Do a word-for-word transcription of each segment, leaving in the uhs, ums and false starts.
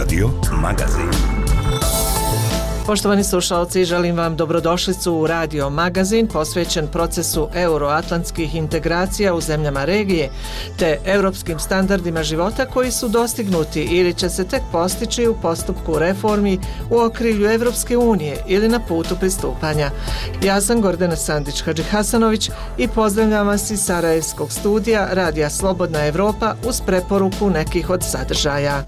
Radio Magazin. Poštovani slušalci, želim vam dobrodošlicu u Radio Magazin posvećen procesu euroatlantskih integracija u zemljama regije te europskim standardima života koji su dostignuti ili će se tek postići u postupku reformi u okrilju Evropske unije ili na putu pristupanja. Ja sam Gordana Sandić-Hadžihasanović i pozdravljam vas iz Sarajevskog studija Radija Slobodna Evropa uz preporuku nekih od sadržaja.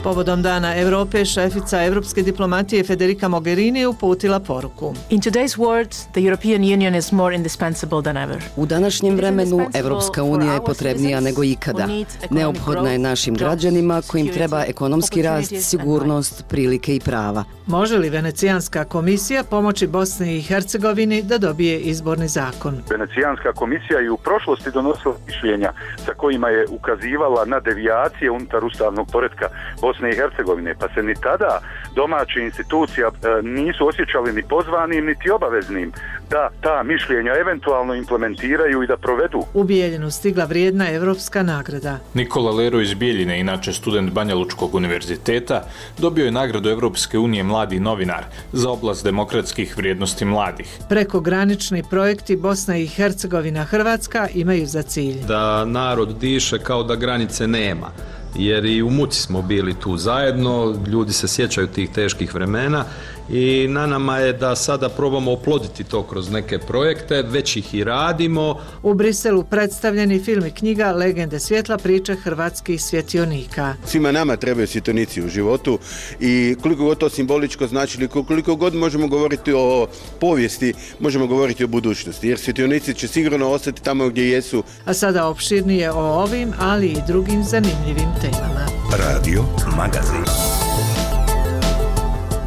Povodom Dana Evrope, šefica evropske diplomatije Federica Mogherini uputila poruku. In today's world, the European Union is more indispensable than ever. U današnjem vremenu Evropska unija je potrebnija nego ikada. Neophodna je našim građanima kojim treba ekonomski rast, sigurnost, prilike i prava. Može li Venecijanska komisija pomoći Bosni i Hercegovini da dobije izborni zakon? Venecijanska komisija je u prošlosti donosila mišljenja sa kojima je ukazivala na devijacije unutar ustavnog poretka Bosne i Hercegovine, pa se ni tada domaće institucija e, nisu osjećali ni pozvanim, niti obaveznim da ta mišljenja eventualno implementiraju i da provedu. U Bijeljinu stigla vrijedna evropska nagrada. Nikola Lero iz Bijeljine, inače student Banja Lučkog univerziteta, dobio je nagradu Evropske unije Mladi novinar za oblast demokratskih vrijednosti mladih. Prekogranični projekti Bosna i Hercegovina Hrvatska imaju za cilj da narod diše kao da granice nema. Jer i u muci smo bili tu zajedno, ljudi se sjećaju tih teških vremena i na nama je da sada probamo oploditi to kroz neke projekte, već ih i radimo. U Briselu predstavljeni film i knjiga Legende svjetla, priče hrvatskih svjetionika. Svima nama trebaju svjetionici u životu i koliko god to simboličko znači, koliko god možemo govoriti o povijesti, možemo govoriti o budućnosti, jer svjetionici će sigurno ostati tamo gdje jesu. A sada opširnije o ovim, ali i drugim zanimljivim temama. Radio Magazin.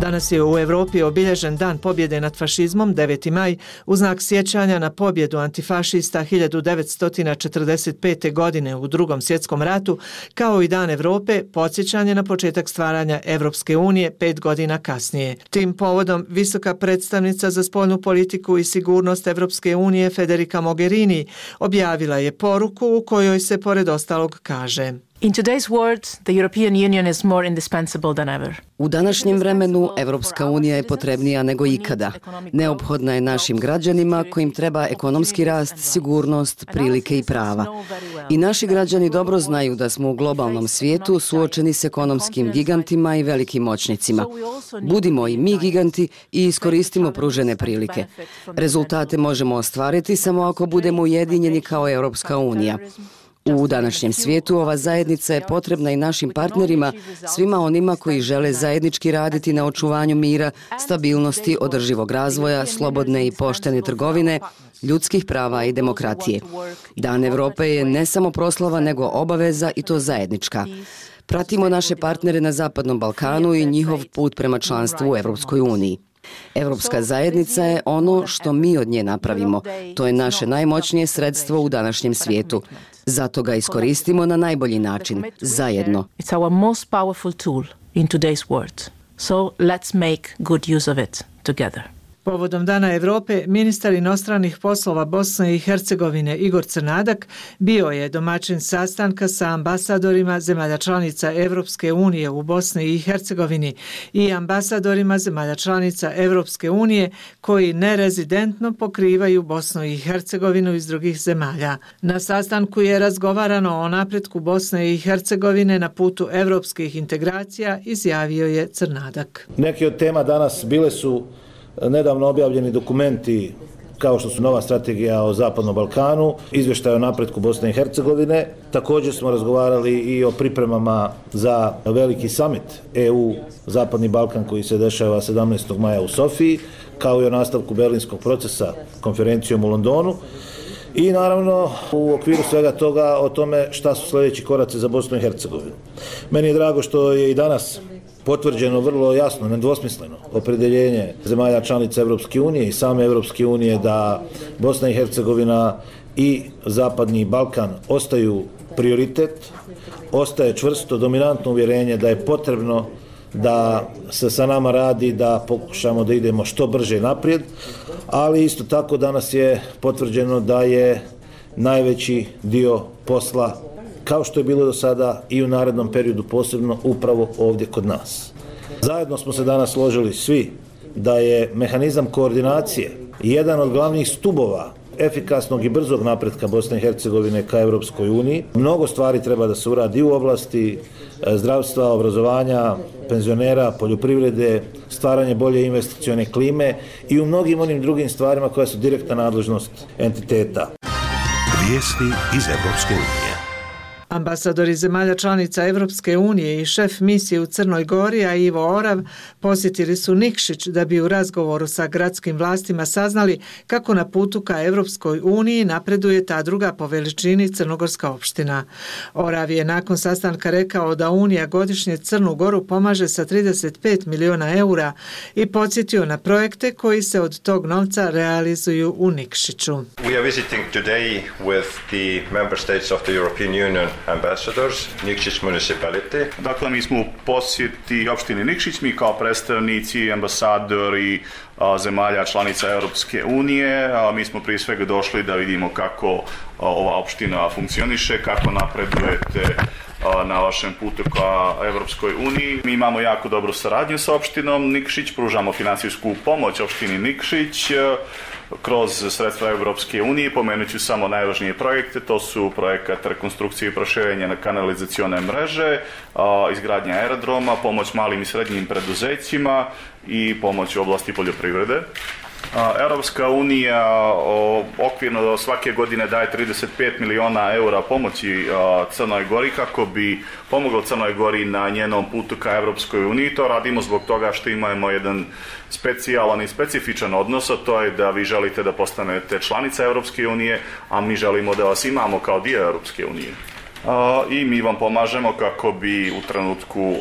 Danas je u Europi obilježen Dan pobjede nad fašizmom, deveti maj, u znak sjećanja na pobjedu antifašista hiljadu devetsto četrdeset pete. godine u Drugom svjetskom ratu, kao i Dan Europe, podsjećanje na početak stvaranja Evropske unije pet godina kasnije. Tim povodom visoka predstavnica za spoljnu politiku i sigurnost Evropske unije Federica Mogherini objavila je poruku u kojoj se pored ostalog kaže: In today's world, the European Union is more indispensable than ever. U današnjem vremenu Evropska unija je potrebnija nego ikada. Neophodna je našim građanima kojim treba ekonomski rast, sigurnost, prilike i prava. I naši građani dobro znaju da smo u globalnom svijetu suočeni s ekonomskim gigantima i velikim moćnicima. Budimo i mi giganti i iskoristimo pružene prilike. Rezultate možemo ostvariti samo ako budemo ujedinjeni kao Evropska unija. U današnjem svijetu ova zajednica je potrebna i našim partnerima, svima onima koji žele zajednički raditi na očuvanju mira, stabilnosti, održivog razvoja, slobodne i poštene trgovine, ljudskih prava i demokratije. Dan Evrope je ne samo proslava nego obaveza i to zajednička. Pratimo naše partnere na Zapadnom Balkanu i njihov put prema članstvu u Evropskoj uniji. Evropska zajednica je ono što mi od nje napravimo. To je naše najmoćnije sredstvo u današnjem svijetu. Zato ga iskoristimo na najbolji način, zajedno. It's our most powerful tool in today's world. So let's make good use of it together. Povodom Dana Evrope, ministar inostranih poslova Bosne i Hercegovine Igor Crnadak bio je domaćin sastanka sa ambasadorima zemalja članica Evropske unije u Bosni i Hercegovini i ambasadorima zemalja članica Evropske unije koji nerezidentno pokrivaju Bosnu i Hercegovinu iz drugih zemalja. Na sastanku je razgovarano o napretku Bosne i Hercegovine na putu evropskih integracija, izjavio je Crnadak. Neki od tema danas bile su nedavno objavljeni dokumenti kao što su nova strategija o Zapadnom Balkanu, izvještaj o napretku Bosne i Hercegovine. Također smo razgovarali i o pripremama za veliki summit E U Zapadni Balkan koji se dešava sedamnaestog maja u Sofiji, kao i o nastavku berlinskog procesa konferencijom u Londonu. I naravno u okviru svega toga o tome šta su sljedeći koraci za Bosnu i Hercegovinu. Meni je drago što je i danas potvrđeno vrlo jasno, nedvosmisleno opredjeljenje zemalja članica Evropske unije i same Evropske unije da Bosna i Hercegovina i Zapadni Balkan ostaju prioritet, ostaje čvrsto, dominantno uvjerenje da je potrebno da se sa nama radi, da pokušamo da idemo što brže naprijed, ali isto tako danas je potvrđeno da je najveći dio posla kao što je bilo do sada i u narednom periodu, posebno upravo ovdje kod nas. Zajedno smo se danas složili svi da je mehanizam koordinacije jedan od glavnih stubova efikasnog i brzog napretka Bosne i Hercegovine ka Europskoj uniji. Mnogo stvari treba da se uradi u oblasti zdravstva, obrazovanja, penzionera, poljoprivrede, stvaranje bolje investicione klime i u mnogim onim drugim stvarima koja su direktna nadležnost entiteta. Vijesti iz Europske unije. Ambasadori zemalja članica Evropske unije i šef misije u Crnoj Gori, a Ivo Orav, posjetili su Nikšić da bi u razgovoru sa gradskim vlastima saznali kako na putu ka Evropskoj uniji napreduje ta druga po veličini crnogorska opština. Orav je nakon sastanka rekao da Unija godišnje Crnu Goru pomaže sa trideset pet miliona eura i podsjetio na projekte koji se od tog novca realizuju u Nikšiću. We are visiting today with the member states of the European Union ambassadors, Nikšić municipality. Dakle, mi smo u posjeti opštini Nikšić, mi kao predstavnici, ambasadori a, zemalja članica Europske unije. A, mi smo prije svega došli da vidimo kako a, ova opština funkcioniše, kako napredujete a, na vašem putu ka Europskoj uniji. Mi imamo jako dobru saradnju sa opštinom Nikšić, pružamo finansijsku pomoć opštini Nikšić kroz sredstva Europske unije. Pomenut ću samo najvažnije projekte, to su projekat rekonstrukcije i proširenja na kanalizacione mreže, izgradnja aerodroma, pomoć malim i srednjim preduzećima i pomoć u oblasti poljoprivrede. Europska unija okvirno svake godine daje trideset pet miliona eura pomoći Crnoj Gori kako bi pomoglo Crnoj Gori na njenom putu ka Europskoj uniji. To radimo zbog toga što imamo jedan specijalan i specifičan odnos, a to je da vi želite da postanete članica Europske unije, a mi želimo da vas imamo kao dio Europske unije. Uh, i mi vam pomažemo kako bi u trenutku uh,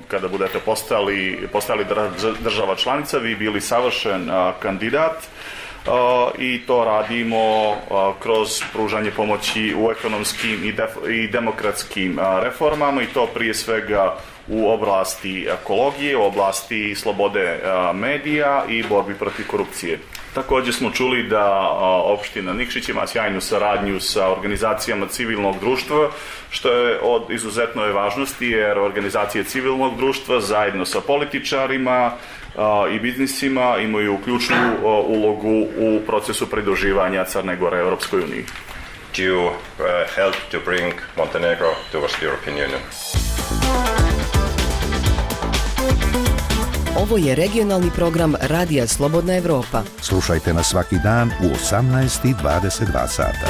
kada budete postali, postali država članica, vi bili savršen uh, kandidat uh, i to radimo uh, kroz pružanje pomoći u ekonomskim i, def- i demokratskim uh, reformama i to prije svega u oblasti ekologije, u oblasti slobode uh, medija i borbi protiv korupcije. Također smo čuli da opština Nikšić ima sjajnu saradnju sa organizacijama civilnog društva, što je od izuzetnoj važnosti jer organizacije civilnog društva zajedno sa političarima i biznisima imaju ključnu ulogu u procesu pridruživanja Crne Gore Europskoj uniji. To uh, help to bring Montenegro towards the European Union. Ovo je regionalni program Radija Slobodna Evropa. Slušajte nas svaki dan u osamnaest i dvadeset dva sata.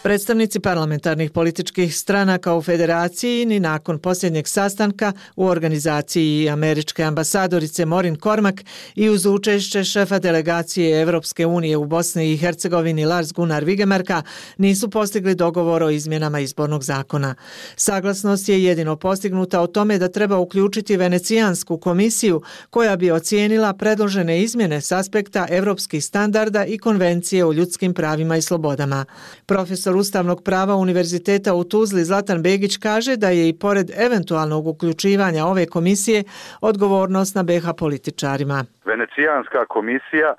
Predstavnici parlamentarnih političkih stranaka u Federaciji ni nakon posljednjeg sastanka u organizaciji američke ambasadorice Maureen Cormack i uz učešće šefa delegacije Evropske unije u Bosni i Hercegovini Lars Gunnar Vigemarka nisu postigli dogovor o izmjenama izbornog zakona. Saglasnost je jedino postignuta o tome da treba uključiti Venecijansku komisiju koja bi ocijenila predložene izmjene s aspekta evropskih standarda i konvencije o ljudskim pravima i slobodama. Profesor ustavnog prava Univerziteta u Tuzli Zlatan Begić kaže da je i pored eventualnog uključivanja ove komisije odgovornost na be ha političarima. Venecijanska komisija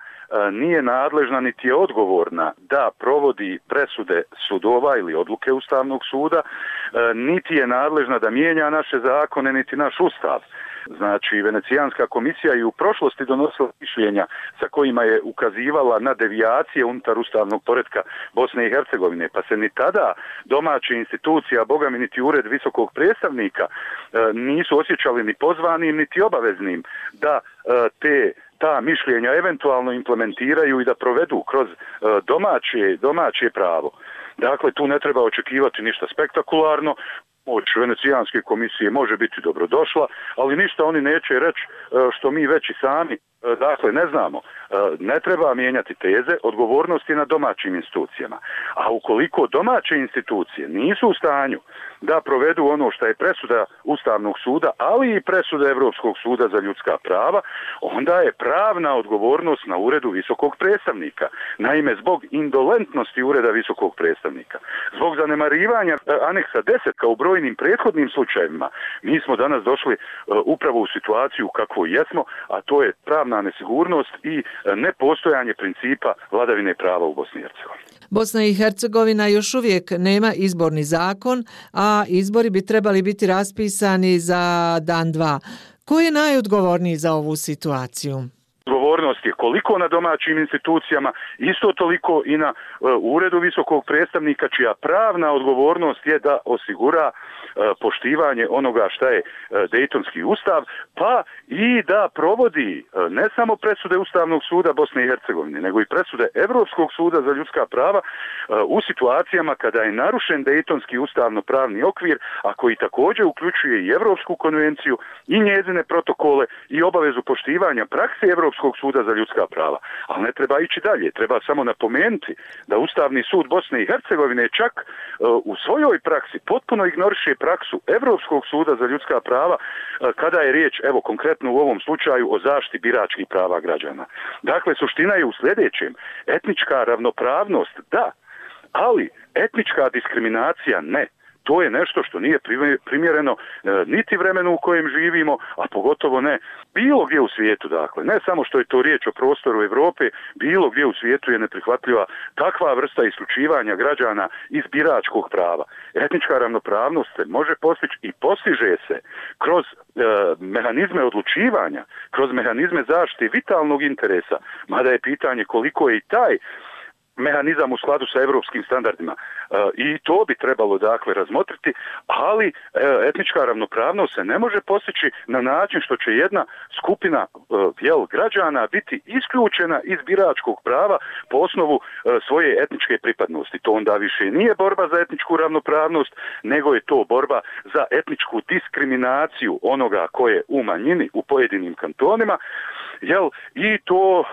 nije nadležna niti je odgovorna da provodi presude sudova ili odluke Ustavnog suda, niti je nadležna da mijenja naše zakone, niti naš ustav. Znači, Venecijanska komisija je u prošlosti donosila mišljenja sa kojima je ukazivala na devijacije unutar ustavnog poretka Bosne i Hercegovine, pa se ni tada domaće institucije, a boga mi niti ured visokog predstavnika, nisu osjećali ni pozvanim, niti obaveznim da te ta mišljenja eventualno implementiraju i da provedu kroz domaće, domaće pravo. Dakle, tu ne treba očekivati ništa spektakularno. Moć Venecijanske komisije može biti dobrodošla, ali ništa oni neće reći što mi već i sami, dakle, ne znamo. Ne treba mijenjati teze, odgovornost je na domaćim institucijama. A ukoliko domaće institucije nisu u stanju da provedu ono što je presuda Ustavnog suda, ali i presuda Evropskog suda za ljudska prava, onda je pravna odgovornost na uredu visokog predstavnika. Naime, zbog indolentnosti ureda visokog predstavnika, zbog zanemarivanja aneksa deset kao u brojnim prethodnim slučajevima, mi smo danas došli upravo u situaciju kakvu jesmo, a to je pravna pravna nesigurnost i nepostojanje principa vladavine prava u Bosni i Hercegovini. Bosna i Hercegovina još uvijek nema izborni zakon, a izbori bi trebali biti raspisani za dan dva. Ko je najodgovorniji za ovu situaciju? Odgovornost je koliko na domaćim institucijama, isto toliko i na uh, uredu visokog predstavnika, čija pravna odgovornost je da osigura uh, poštivanje onoga šta je uh, Dejtonski ustav, pa i da provodi uh, ne samo presude Ustavnog suda Bosne i Hercegovine, nego i presude Europskog suda za ljudska prava uh, u situacijama kada je narušen Dejtonski ustavno-pravni okvir, a koji također uključuje i Europsku konvenciju i njezine protokole i obavezu poštivanja prakse Europskog suda za ljudska prava. Ali ne treba ići dalje. Treba samo napomenuti da Ustavni sud Bosne i Hercegovine čak uh, u svojoj praksi potpuno ignoriše praksu Europskog suda za ljudska prava uh, kada je riječ, evo konkretno u ovom slučaju, o zaštiti biračkih prava građana. Dakle, suština je u sljedećem. Etnička ravnopravnost, da, ali etnička diskriminacija ne. To je nešto što nije primjereno niti vremenu u kojem živimo, a pogotovo ne bilo gdje u svijetu. Dakle, ne samo što je to riječ o prostoru Europe, bilo gdje u svijetu je neprihvatljiva takva vrsta isključivanja građana iz biračkog prava. Etnička ravnopravnost se može postići i postiže se kroz e, mehanizme odlučivanja, kroz mehanizme zaštite vitalnog interesa, mada je pitanje koliko je i taj mehanizam u skladu sa europskim standardima. E, I to bi trebalo dakle razmotriti, ali e, etnička ravnopravnost se ne može postići na način što će jedna skupina e, jel, građana biti isključena iz biračkog prava po osnovu e, svoje etničke pripadnosti. To onda više nije borba za etničku ravnopravnost, nego je to borba za etničku diskriminaciju onoga ko je u manjini u pojedinim kantonima. Jel, i to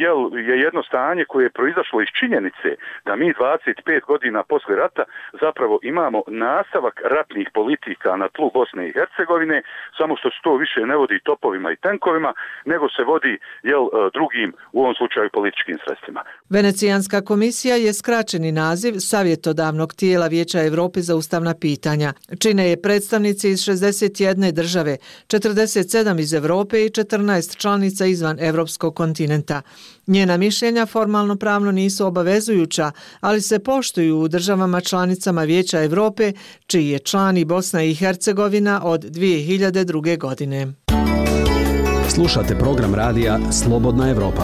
jel, je jedno stanje koje je proizašlo iz činjenice da mi dvadeset pet godina posle rata zapravo imamo nastavak ratnih politika na tlu Bosne i Hercegovine, samo što se to više ne vodi topovima i tenkovima, nego se vodi jel, drugim, u ovom slučaju, političkim sredstvima. Venecijanska komisija je skraćeni naziv savjetodavnog tijela Vijeća Europe za ustavna pitanja. Čine je predstavnici iz šezdeset jedne države, četrdeset sedam iz Europe i četrnaest članica izvan evropskog kontinenta. Njena mišljenja formalno pravno nisu obavezujuća, ali se poštuju u državama članicama Vijeća Europe, čiji je član i Bosna i Hercegovina od dvije hiljade druge. godine. Slušate program radija Slobodna Evropa.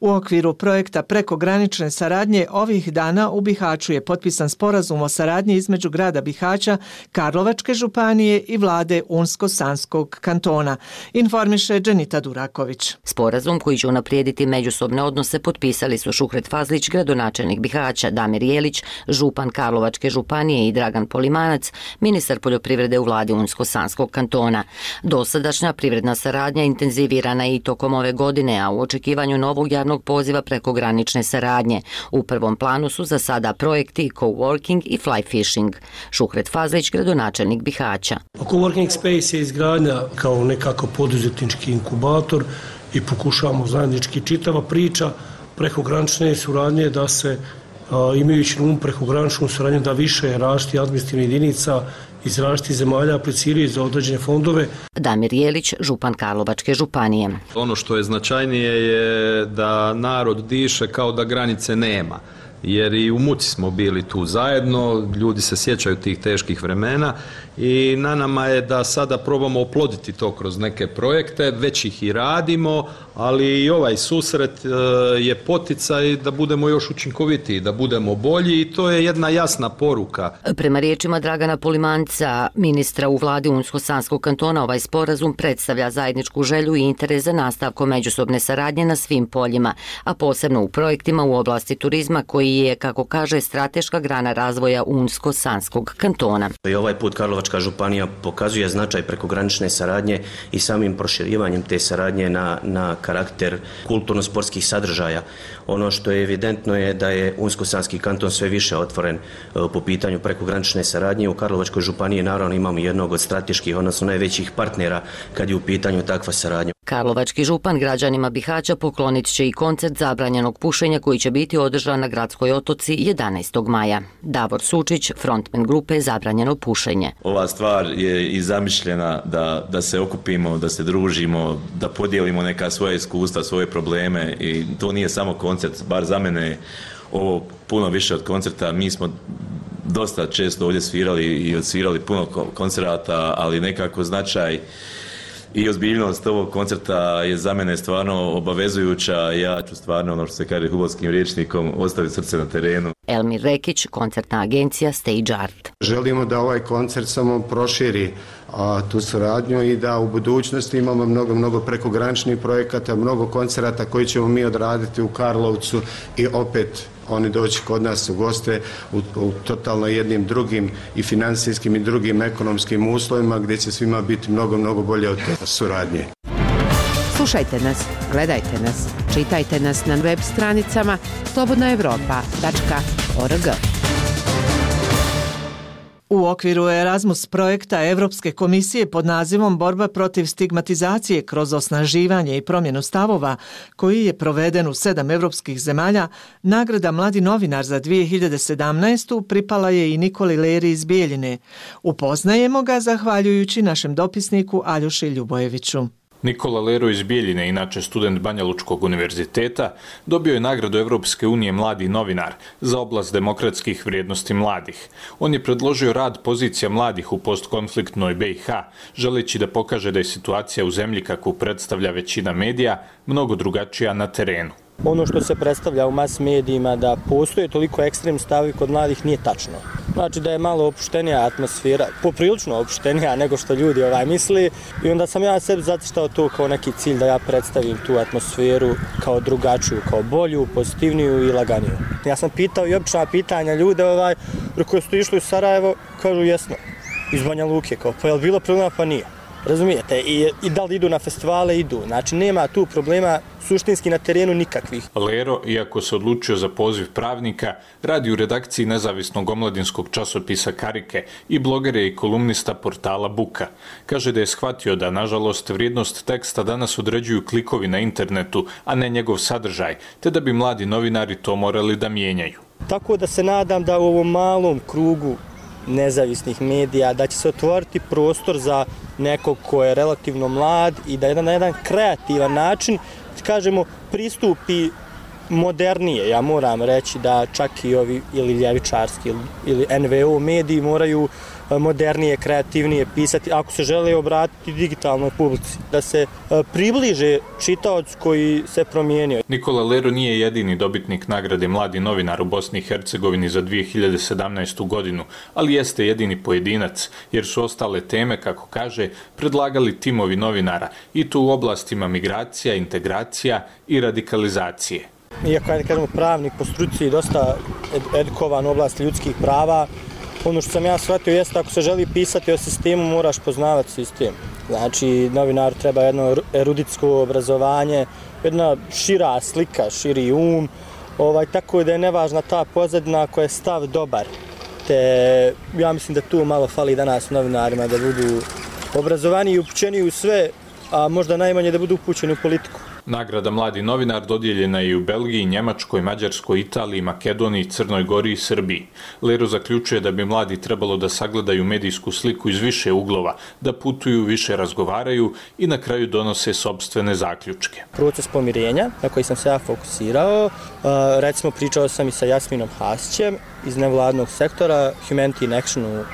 U okviru projekta prekogranične saradnje ovih dana u Bihaću je potpisan sporazum o saradnji između grada Bihaća, Karlovačke županije i vlade Unsko-Sanskog kantona, informiše Dženita Duraković. Sporazum koji će unaprijediti međusobne odnose potpisali su Šuhret Fazlić, gradonačelnik Bihaća, Damir Jelić, župan Karlovačke županije i Dragan Polimanac, ministar poljoprivrede u vladi Unsko-Sanskog kantona. Dosadašnja privredna saradnja intenzivirana je i tokom ove godine, a u očekivanju novog javnog poziva prekogranične saradnje. U prvom planu su za sada projekti coworking i fly fishing. Šuhret Fazlić, gradonačelnik Bihaća. Coworking space je izgradnja kao nekako poduzetnički inkubator i pokušavamo zajednički čitava priča prekogranične suradnje da se imajući na umu prekograničnu suradnju da više različitih administrativnih jedinica iz različitih zemalja apliciraju za određene fondove. Damir Jelić, župan Karlovačke županije. Ono što je značajnije je da narod diše kao da granice nema. Jer i u muci smo bili tu zajedno, ljudi se sjećaju tih teških vremena i na nama je da sada probamo oploditi to kroz neke projekte, već ih i radimo, ali i ovaj susret je poticaj da budemo još učinkovitiji, da budemo bolji i to je jedna jasna poruka. Prema riječima Dragana Polimanca, ministra u vladi Unsko-Sanskog kantona, ovaj sporazum predstavlja zajedničku želju i interes za nastavkom međusobne saradnje na svim poljima, a posebno u projektima u oblasti turizma koji je, kako kaže, strateška grana razvoja Unsko-Sanskog kantona. I ovaj put Karlovačka županija pokazuje značaj prekogranične saradnje i samim proširivanjem te saradnje na, na karakter kulturno-sportskih sadržaja. Ono što je evidentno je da je Unsko-Sanski kanton sve više otvoren po pitanju prekogranične saradnje. U Karlovačkoj županiji naravno imamo jednog od strateških, odnosno najvećih partnera kad je u pitanju takva saradnja. Karlovački župan građanima Bihaća poklonit će i koncert zabranjenog pušenja koji će biti održan na Gradskoj otoci jedanaestog maja. Davor Sučić, frontman grupe Zabranjeno pušenje. Ova stvar je i zamišljena da, da se okupimo, da se družimo, da podijelimo neka svoja iskustva, svoje probleme i to nije samo koncert, bar za mene ovo puno više od koncerta. Mi smo dosta često ovdje svirali i odsvirali puno koncerata, ali nekako značaj i ozbiljnost ovog koncerta je za mene stvarno obavezujuća. Ja ću stvarno, ono što se kaže hubolskim rječnikom, ostaviti srce na terenu. Elmir Rekić, koncertna agencija Stage Art. Želimo da ovaj koncert samo proširi a, tu suradnju i da u budućnosti imamo mnogo, mnogo prekograničnih projekata, mnogo koncerata koji ćemo mi odraditi u Karlovcu i opet oni doći kod nas u goste u, u totalno jednim drugim i financijskim i drugim ekonomskim uslovima gdje će svima biti mnogo, mnogo bolje od te suradnje. Slušajte nas, gledajte nas, čitajte nas na web stranicama slobodna evropa tačka org. U okviru Erasmus projekta Evropske komisije pod nazivom Borba protiv stigmatizacije kroz osnaživanje i promjenu stavova, koji je proveden u sedam evropskih zemalja, nagrada Mladi novinar za dvije hiljade sedamnaestu pripala je i Nikoli Leri iz Bijeljine. Upoznajemo ga zahvaljujući našem dopisniku Aljoši Ljubojeviću. Nikola Lero iz Bijeljine, inače student Banja Lučkog univerziteta, dobio je nagradu Evropske unije Mladi novinar za oblast demokratskih vrijednosti mladih. On je predložio rad pozicija mladih u postkonfliktnoj B i H, želeći da pokaže da je situacija u zemlji kakvu predstavlja većina medija mnogo drugačija na terenu. Ono što se predstavlja u mas medijima da postoje toliko ekstrem stavi kod mladih nije tačno. Znači da je malo opuštenija atmosfera, poprilično opuštenija nego što ljudi ovaj misli i onda sam ja sebi zacrtao to kao neki cilj da ja predstavim tu atmosferu kao drugačiju, kao bolju, pozitivniju i laganiju. Ja sam pitao i obična pitanja ljude ovaj, koji su išli u Sarajevo, kažu jesmo, iz Banja Luke, kao pa je li bilo problema, pa nije. Razumijete? I, I da li idu na festivale, idu. Znači, nema tu problema suštinski na terenu nikakvih. Lero, iako se odlučio za poziv pravnika, radi u redakciji nezavisnog omladinskog časopisa Karike i bloger je i kolumnista portala Buka. Kaže da je shvatio da, nažalost, vrijednost teksta danas određuju klikovi na internetu, a ne njegov sadržaj, te da bi mladi novinari to morali da mijenjaju. Tako da se nadam da u ovom malom krugu nezavisnih medija, da će se otvoriti prostor za nekog ko je relativno mlad i da jedan na jedan kreativan način, kažemo, pristupi modernije. Ja moram reći da čak i ovi ili ljevičarski ili N V O mediji moraju modernije, kreativnije pisati ako se žele obratiti digitalnoj publici, da se približe čitaocu koji se promijenio. Nikola Lero nije jedini dobitnik nagrade Mladi novinar u Bosni i Hercegovini za dvije hiljade sedamnaestu godinu, ali jeste jedini pojedinac, jer su ostale teme, kako kaže, predlagali timovi novinara i to u oblastima migracija, integracija i radikalizacije. Iako je, kažemo, pravnik po struci dosta edukovan u oblast ljudskih prava, ono što sam ja shvatio jeste ako se želi pisati o sistemu, moraš poznavati sistem. Znači, novinar treba jedno eruditsko obrazovanje, jedna šira slika, širi um, ovaj, tako da je nevažna ta pozadina koja je stav dobar. Te ja mislim da tu malo fali danas novinarima da budu obrazovani i upućeni u sve, a možda najmanje da budu upućeni u politiku. Nagrada Mladi novinar dodijeljena je u Belgiji, Njemačkoj, Mađarskoj, Italiji, Makedoniji, Crnoj Gori i Srbiji. Lero zaključuje da bi mladi trebalo da sagledaju medijsku sliku iz više uglova, da putuju, više razgovaraju i na kraju donose sopstvene zaključke. Proces pomirenja na koji sam se ja fokusirao, recimo pričao sam i sa Jasminom Hasićem iz nevladnog sektora Humanity in Action u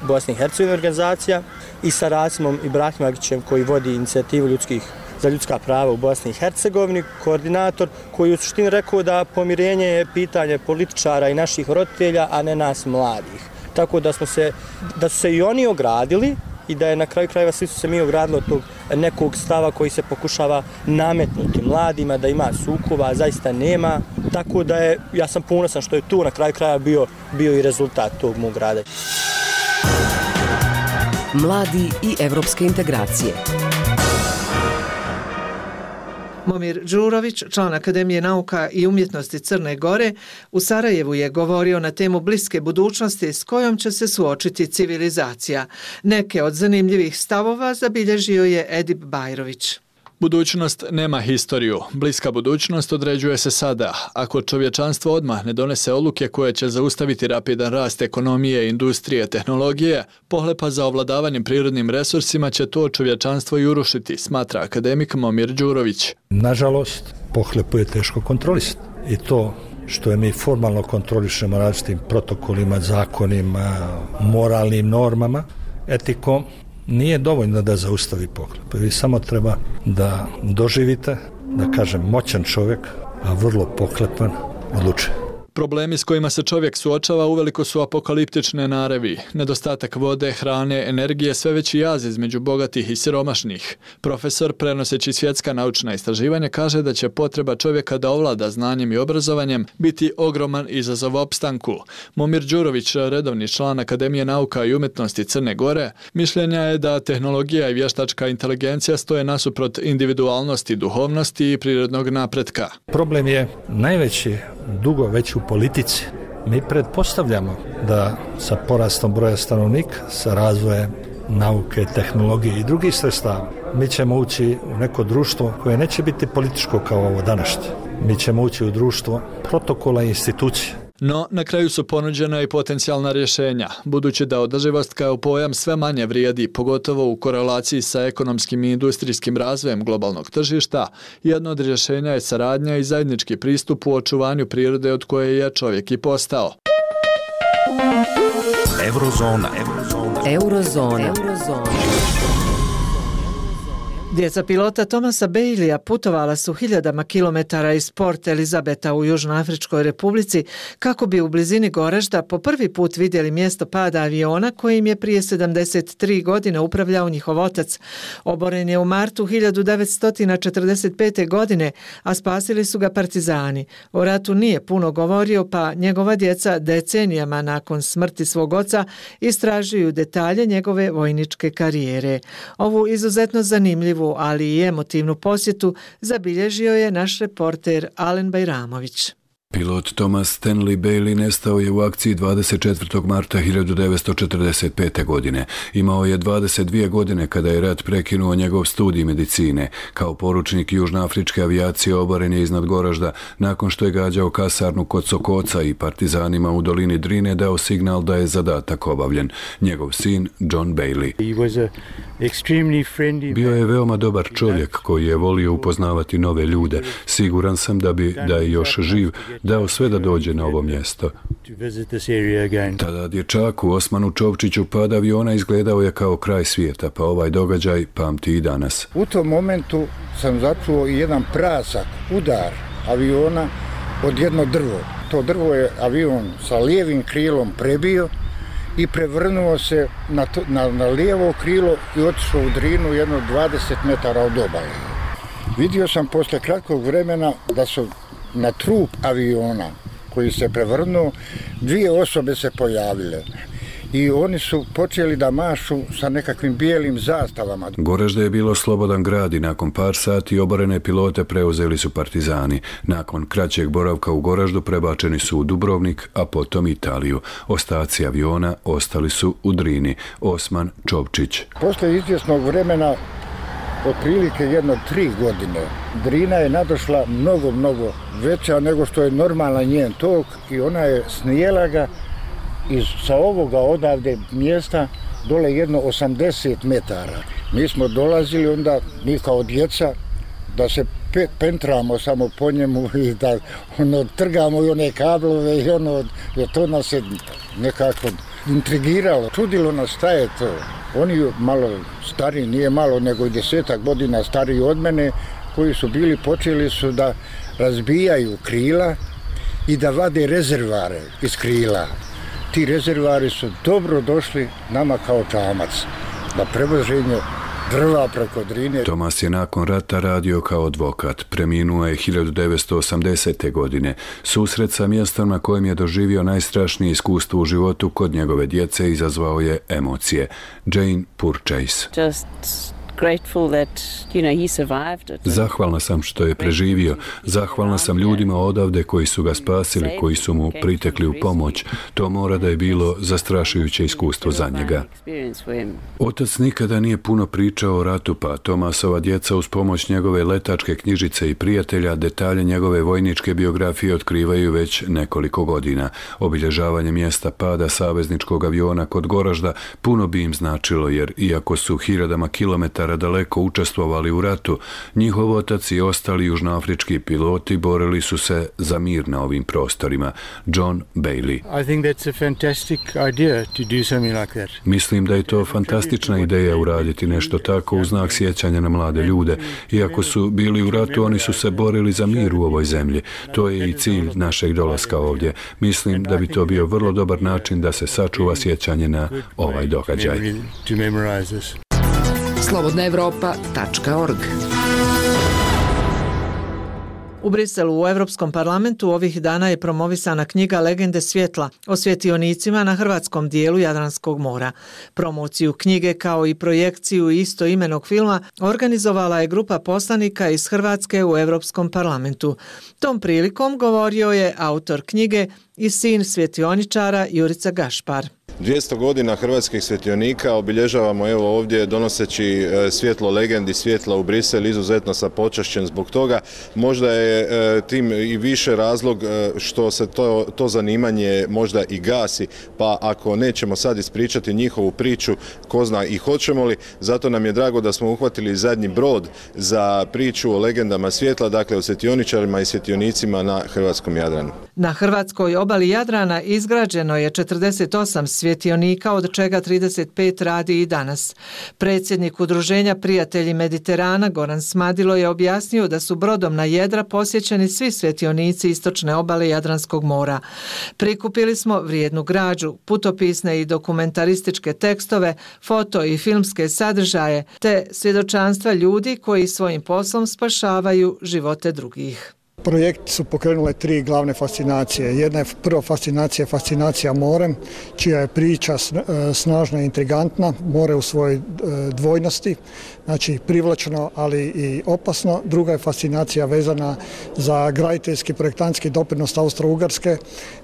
Bosni i Hercegovini organizacija i sa Rasimom Ibrahimagićem koji vodi inicijativu ljudskih za ljudska prava u Bosni i Hercegovini, koordinator koji u suštini rekao da pomirenje je pitanje političara i naših roditelja, a ne nas mladih. Tako da smo se, da su se i oni ogradili i da je na kraju krajeva svi su se mi ogradili od tog nekog stava koji se pokušava nametnuti mladima, da ima sukoba, a zaista nema. Tako da je, ja sam ponosan što je tu na kraju krajeva bio, bio i rezultat tog mog rada. Mladi i evropske integracije. Momir Đurović, član Akademije nauka i umjetnosti Crne Gore, u Sarajevu je govorio na temu bliske budućnosti s kojom će se suočiti civilizacija. Neke od zanimljivih stavova zabilježio je Edip Bajrović. Budućnost nema historiju. Bliska budućnost određuje se sada. Ako čovječanstvo odmah ne donese odluke koje će zaustaviti rapidan rast ekonomije, industrije, tehnologije, pohlepa za ovladavanjem prirodnim resursima će to čovječanstvo i urušiti, smatra akademik Momir Đurović. Nažalost, pohlepu je teško kontrolisati. I to što je mi formalno kontrolišemo različitim protokolima, zakonima, moralnim normama, etikom, nije dovoljno da zaustavi pohlep. Vi samo treba da doživite, da kažem, moćan čovjek, a vrlo pohlepan, odlučuje. Problemi s kojima se čovjek suočava uveliko su apokaliptične naravi. Nedostatak vode, hrane, energije, sve veći jaz između bogatih i siromašnih. Profesor, prenoseći svjetska naučna istraživanja, kaže da će potreba čovjeka da ovlada znanjem i obrazovanjem biti ogroman izazov opstanku. Momir Đurović, redovni član Akademije nauka i umjetnosti Crne Gore, mišljenja je da tehnologija i vještačka inteligencija stoje nasuprot individualnosti, duhovnosti i prirodnog napretka. Problem je najveći, dugo već u politici. Mi pretpostavljamo da sa porastom broja stanovnika, sa razvojem nauke, tehnologije i drugih sredstava, mi ćemo ući u neko društvo koje neće biti političko kao ovo današnje. Mi ćemo ući u društvo protokola i institucija. No, na kraju su ponuđena i potencijalna rješenja, budući da održivost kao pojam sve manje vrijedi, pogotovo u korelaciji sa ekonomskim i industrijskim razvojem globalnog tržišta. Jedno od rješenja je saradnja i zajednički pristup u očuvanju prirode od koje je čovjek i postao. Eurozona. Eurozona. Eurozona. Eurozona. Djeca pilota Thomasa Baileya putovala su hiljadama kilometara iz Port Elizabeta u Južnoafričkoj republici kako bi u blizini Goražda po prvi put vidjeli mjesto pada aviona kojim je prije sedamdeset tri godine upravljao njihov otac. Oboren je u martu hiljadu devetsto četrdeset pete. godine, a spasili su ga partizani. O ratu nije puno govorio, pa njegova djeca decenijama nakon smrti svog oca istražuju detalje njegove vojničke karijere. Ovu izuzetno zanimljivu, ali i emotivnu posjetu zabilježio je naš reporter Alen Bajramović. Pilot Thomas Stanley Bailey nestao je u akciji dvadeset četvrtog marta hiljadu devetsto četrdeset pete. godine. Imao je dvadeset dvije godine kada je rat prekinuo njegov studij medicine. Kao poručnik južnoafričke avijacije oboren je iznad Goražda nakon što je gađao kasarnu kod Sokoca i partizanima u dolini Drine dao signal da je zadatak obavljen. Njegov sin John Bailey. Bio je veoma dobar čovjek koji je volio upoznavati nove ljude. Siguran sam da bi, da je još živ, dao sve da dođe na ovo mjesto. Tada dječaku Osmanu Čovčiću pad aviona izgledao je kao kraj svijeta, pa ovaj događaj pamti i danas. U tom momentu sam začuo i jedan prasak, udar aviona od jedno drvo. To drvo je avion sa lijevim krilom prebio i prevrnuo se na, to, na, na lijevo krilo i otišao u Drinu jedno dvadeset metara od obale. Vidio sam posle kratkog vremena da su na trup aviona koji se prevrnuo, dvije osobe se pojavile i oni su počeli da mašu sa nekakvim bijelim zastavama. Goražde je bilo slobodan grad i nakon par sati oborene pilote preuzeli su partizani. Nakon kraćeg boravka u Goraždu prebačeni su u Dubrovnik, a potom Italiju. Ostaci aviona ostali su u Drini. Osman Čovčić. Posle izvjesnog vremena, otprilike jedno tri godine, Drina je nadošla mnogo, mnogo veća nego što je normalan njen tok i ona je snijela ga iz, sa ovoga odavde mjesta dole jedno osamdeset metara. Mi smo dolazili onda, mi kao djeca, da se pe, pentramo samo po njemu i da ono, trgamo i one kablove i ono, jer to nas je nekako intrigiralo. Čudilo nas šta je to. Oni malo stariji, nije malo nego i desetak godina stariji od mene, koji su bili, počeli su da razbijaju krila i da vade rezervare iz krila. Ti rezervari su dobro došli nama kao čamac na prevoženje drva preko Drine. Tomas je nakon rata radio kao advokat. Preminuo je hiljadu devetsto osamdesete. godine. Susret sa mjestom na kojem je doživio najstrašnije iskustvo u životu kod njegove djece izazvao je emocije. Jane Purchase. Just Zahvalna sam što je preživio. Zahvalna sam ljudima odavde koji su ga spasili, koji su mu pritekli u pomoć. To mora da je bilo zastrašujuće iskustvo za njega. Otac nikada nije puno pričao o ratu, pa Tomasova djeca uz pomoć njegove letačke knjižice i prijatelja detalje njegove vojničke biografije otkrivaju već nekoliko godina. Obilježavanje mjesta pada savezničkog aviona kod Goražda puno bi im značilo, jer iako su hiljadama kilometara daleko učestvovali u ratu, njihov otac i ostali južnoafrički piloti borili su se za mir na ovim prostorima. John Bailey. Mislim da je to fantastična ideja uraditi nešto tako u znak sjećanja na mlade ljude. Iako su bili u ratu, oni su se borili za mir u ovoj zemlji. To je i cilj našeg dolaska ovdje. Mislim da bi to bio vrlo dobar način da se sačuva sjećanje na ovaj događaj. slobodna evropa tačka org. U Briselu u Europskom parlamentu ovih dana je promovisana knjiga Legende svjetla o svjetionicima na hrvatskom dijelu Jadranskog mora. Promociju knjige kao i projekciju istoimenog filma organizovala je grupa poslanika iz Hrvatske u Europskom parlamentu. Tom prilikom govorio je autor knjige i sin svjetioničara Jurica Gašpar. dvjesto godina hrvatskih svjetionika obilježavamo evo ovdje donoseći svjetlo legendi, svjetla u Brisel, izuzetno sam počašćen zbog toga. Možda je tim i više razlog što se to, to zanimanje možda i gasi, pa ako nećemo sad ispričati njihovu priču, ko zna i hoćemo li, zato nam je drago da smo uhvatili zadnji brod za priču o legendama svjetla, dakle o svjetioničarima i svjetionicima na hrvatskom Jadranu. Na hrvatskoj obali Jadrana izgrađeno je četrdeset osam svjetionika, od čega trideset pet radi i danas. Predsjednik Udruženja Prijatelji Mediterana Goran Smadilo je objasnio da su brodom na jedra posjećeni svi svjetionici istočne obale Jadranskog mora. Prikupili smo vrijednu građu, putopisne i dokumentarističke tekstove, foto i filmske sadržaje, te svjedočanstva ljudi koji svojim poslom spašavaju živote drugih. Projekt su pokrenule tri glavne fascinacije. Jedna je prva fascinacija, fascinacija morem, čija je priča snažna i intrigantna, more u svojoj dvojnosti, znači privlačno, ali i opasno. Druga je fascinacija vezana za graditeljski projektantski doprinos Austro-Ugarske,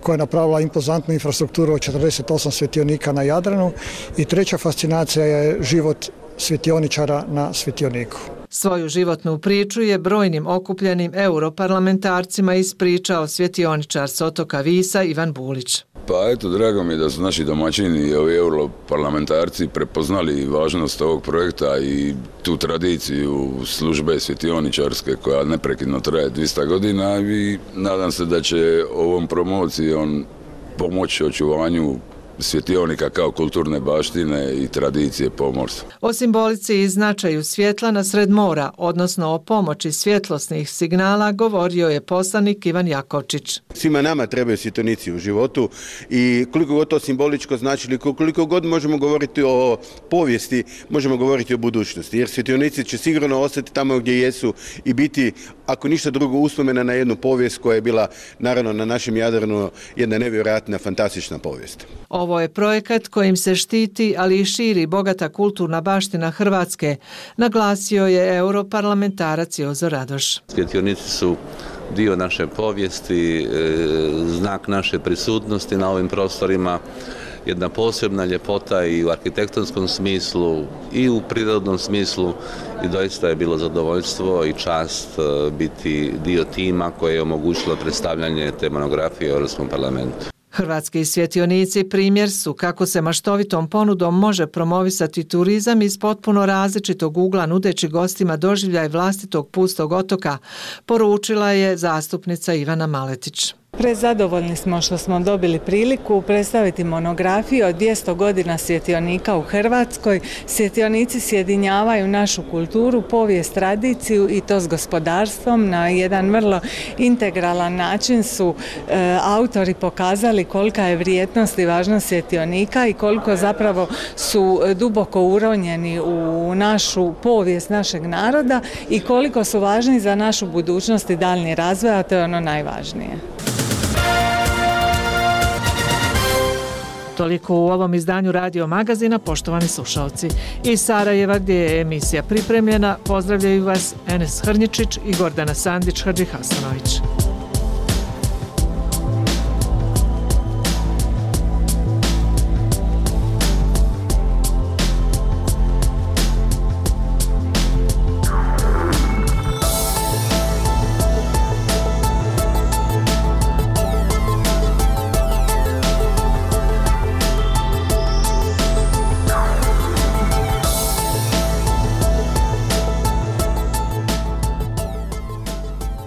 koja je napravila impozantnu infrastrukturu od četrdeset osam svjetionika na Jadranu. I treća fascinacija je život svjetioničara na svjetioniku. Svoju životnu priču je brojnim okupljenim europarlamentarcima ispričao svjetioničar s otoka Visa Ivan Bulić. Pa eto, drago mi je da su naši domaćini i ovi europarlamentarci prepoznali važnost ovog projekta i tu tradiciju službe svjetioničarske koja neprekidno traje dvjesto godina i nadam se da će ovom promocijom pomoći očuvanju svjetionika kao kulturne baštine i tradicije pomorstva. O simbolici i značaju svjetla na sred mora, odnosno o pomoći svjetlosnih signala, govorio je poslanik Ivan Jakovčić. Svima nama trebaju svjetionici u životu i koliko god to simboličko znači, koliko god možemo govoriti o povijesti, možemo govoriti o budućnosti, jer svjetionici će sigurno ostati tamo gdje jesu i biti, ako ništa drugo, uspomena na jednu povijest koja je bila, naravno, na našem Jadranu jedna nevjerojatna, fantastična povijest. Ovo je projekat kojim se štiti, ali i širi bogata kulturna baština Hrvatske, naglasio je europarlamentarac Jozo Radoš. Svjetionici su dio naše povijesti, znak naše prisutnosti na ovim prostorima, jedna posebna ljepota i u arhitektonskom smislu i u prirodnom smislu i doista je bilo zadovoljstvo i čast biti dio tima koje je omogućilo predstavljanje te monografije u Europskom parlamentu. Hrvatski svjetionici primjer su kako se maštovitom ponudom može promovisati turizam iz potpuno različitog ugla nudeći gostima doživljaj vlastitog pustog otoka, poručila je zastupnica Ivana Maletić. Prezadovoljni smo što smo dobili priliku predstaviti monografiju od dvjesto godina svjetionika u Hrvatskoj. Svjetionici sjedinjavaju našu kulturu, povijest, tradiciju i to s gospodarstvom. Na jedan vrlo integralan način su e, autori pokazali kolika je vrijednost i važnost svjetionika i koliko zapravo su duboko uronjeni u našu povijest našeg naroda i koliko su važni za našu budućnost i daljnji razvoj, a to je ono najvažnije. Toliko u ovom izdanju Radio Magazina, poštovani slušalci. Iz Sarajeva, gdje je emisija pripremljena, pozdravljaju vas Enes Hrnječić i Gordana Sandić-Hadžihasanović.